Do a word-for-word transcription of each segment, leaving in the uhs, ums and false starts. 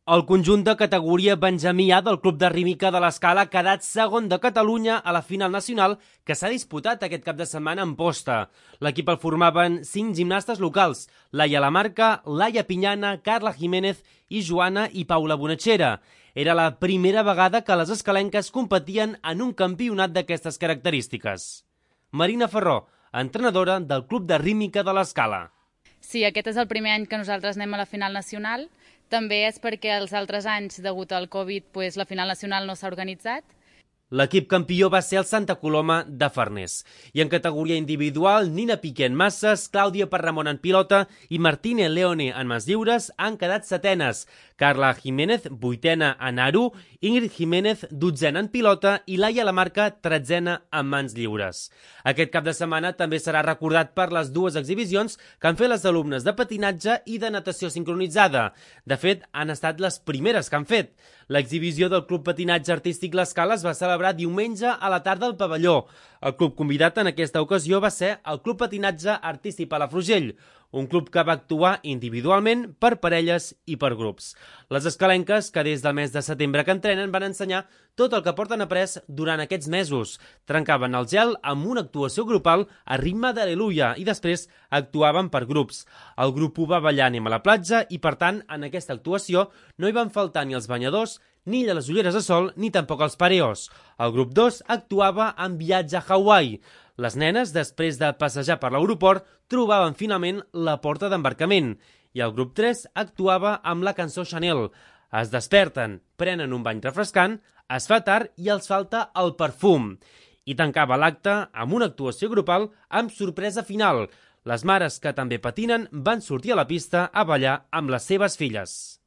El conjunt de categoria Benjamí A del Club de Rítmica de l'Escala ha quedat segon de Catalunya a la final nacional que s'ha disputat aquest cap de setmana en posta. L'equip el formaven cinc gimnastes locals: Laia Lamarca, Laia Pinyana, Carla Jiménez i Joana i Paula Bonachera. Era la primera vegada que les escalenques competien en un campionat d'aquestes característiques. Marina Ferró, entrenadora del Club de Rítmica de l'Escala. Sí, aquest és el primer any que nosaltres anem a la final nacional. També és perquè els altres anys, degut al Covid, pues, la final nacional no s'ha organitzat. L'equip campió va ser el Santa Coloma de Farners. I en categoria individual, Nina Piqué en masses, Clàudia Parramon en pilota i Martínez Leone en mans lliures han quedat setenes. Carla Jiménez, vuitena en aro, Ingrid Jiménez, dotzena en pilota i Laia Lamarca, tretzena en mans lliures. Aquest cap de setmana també serà recordat per les dues exhibicions que han fet les alumnes de patinatge i de natació sincronitzada. De fet, han estat les primeres que han fet. L'exhibició del Club Patinatge Artístic L'Escala es va celebrar diumenge a la tarda al pavelló. El club convidat en aquesta ocasió va ser el Club Patinatge Artístic Palafrugell, un club que va actuar individualment, per parelles i per grups. Les escalenques, que des del mes de setembre que entrenen, van ensenyar tot el que porten après durant aquests mesos. Trencaven el gel amb una actuació grupal a ritme d'Al·leluia i després actuaven per grups. El grup ho va ballar Anem a la platja i, per tant, en aquesta actuació no hi van faltar ni els banyadors, ni les ulleres de sol, ni tampoc els pareos. El grup dos actuava en Viatge a Hawaii. Les nenes, després de passejar per l'aeroport, trobaven finalment la porta d'embarcament. I el grup tres actuava amb la cançó Chanel. Es desperten, prenen un bany refrescant, es fa tard i els falta el perfum. I tancava l'acte amb una actuació grupal amb sorpresa final. Les mares, que també patinen, van sortir a la pista a ballar amb les seves filles.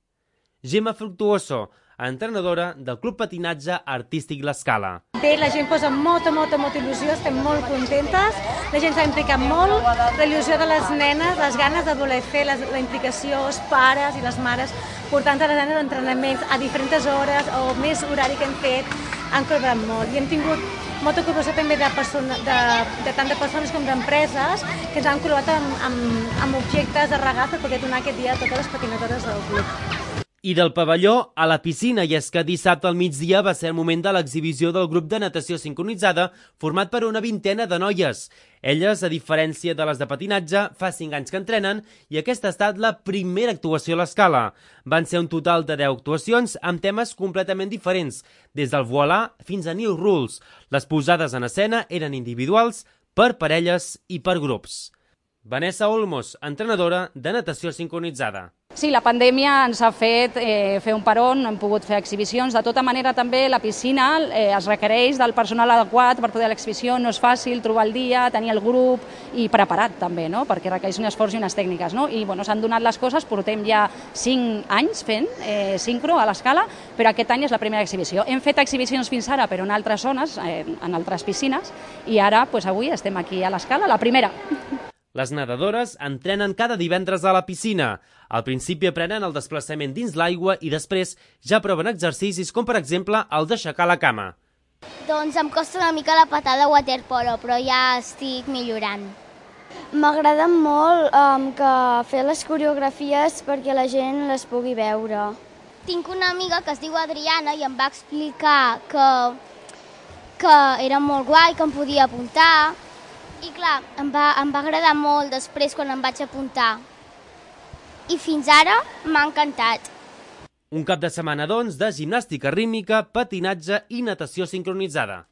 Gemma Fructuoso, entrenadora del Club Patinatge Artístic L'Escala. Bé, la gent posa molta, molta, molta il·lusió, estem molt contentes, la gent s'ha implicat molt, la il·lusió de les nenes, les ganes de voler fer, les, la implicació, els pares i les mares, portant les nenes a entrenaments a diferents hores o més horari que hem fet, han col·laborat molt. I hem tingut molta col·laboració també de, persona, de, de tant de persones com d'empreses que ens han col·laborat amb, amb, amb objectes de regal per poder donar aquest dia a totes les patinadores del club. I del pavelló a la piscina, i és que dissabte al migdia va ser el moment de l'exhibició del grup de natació sincronitzada format per una vintena de noies. Elles, a diferència de les de patinatge, fa cinc anys que entrenen i aquesta ha estat la primera actuació a l'Escala. Van ser un total de deu actuacions amb temes completament diferents, des del voilà fins a New Rules. Les posades en escena eren individuals, per parelles i per grups. Vanessa Olmos, entrenadora de natació sincronitzada. Sí, la pandèmia ens ha fet eh, fer un peron, hem pogut fer exhibicions. De tota manera, també la piscina eh, es requereix del personal adequat per poder l'exhibició. No és fàcil trobar el dia, tenir el grup i preparat també, no? Perquè requereix un esforç i unes tècniques. No? I bueno, s'han donat les coses, portem ja cinc anys fent eh, sincro a l'Escala, però aquest any és la primera exhibició. Hem fet exhibicions fins ara, però en altres zones, eh, en altres piscines, i ara pues, avui estem aquí a l'Escala, la primera. Les nedadores entrenen cada divendres a la piscina. Al principi aprenen el desplaçament dins l'aigua i després ja proven exercicis com, per exemple, el d'aixecar la cama. Doncs em costa una mica la patada waterpolo, però ja estic millorant. M'agrada molt um, que fer les coreografies perquè la gent les pugui veure. Tinc una amiga que es diu Adriana i em va explicar que, que era molt guai, que em podia apuntar. I clar, em va, em va agradar molt després quan em vaig apuntar. I fins ara m'ha encantat. Un cap de setmana, doncs, de gimnàstica rítmica, patinatge i natació sincronitzada.